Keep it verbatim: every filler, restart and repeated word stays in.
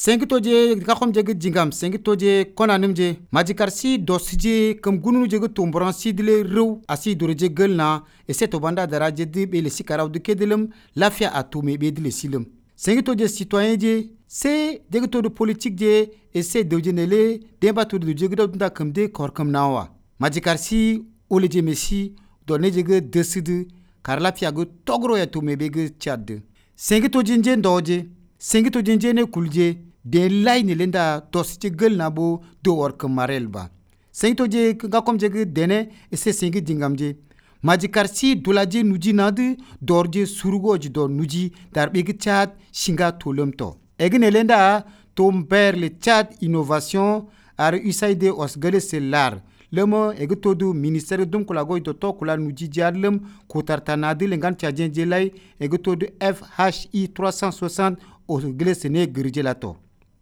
sengi toje gakhom je jingam sengi toje konanim je majikarsi dosje kam gunu je tombran sidle rew asi dorje gelna e seto banda daraje de be le sikaraw de kedelem lafia atume be de le silem sengi toje citoyen je se de to de politique je e se de jenele de ba to de je gda kam de kor kam nawa majikarsi ole je messi donne je decide kar lafia go togro ya tume be ge chad sengi toje nje ndoje sengi to jenje ne kulje de lay ni lenda tos ci gel na bo do war ke marel ba sengi to je ga kom je dene e se sengi dingam je majikar si dolaje nuji nadu dorje surugo je do nuji dar be chat singa tolum to egne lenda to mber le chat innovation ar usaide os gele selar lemo egto du ministère dum kula goy to to kula nuji jarlem ko tartana de lengan tiajen je lay egto du F H I trois cent soixante o glesene girjelato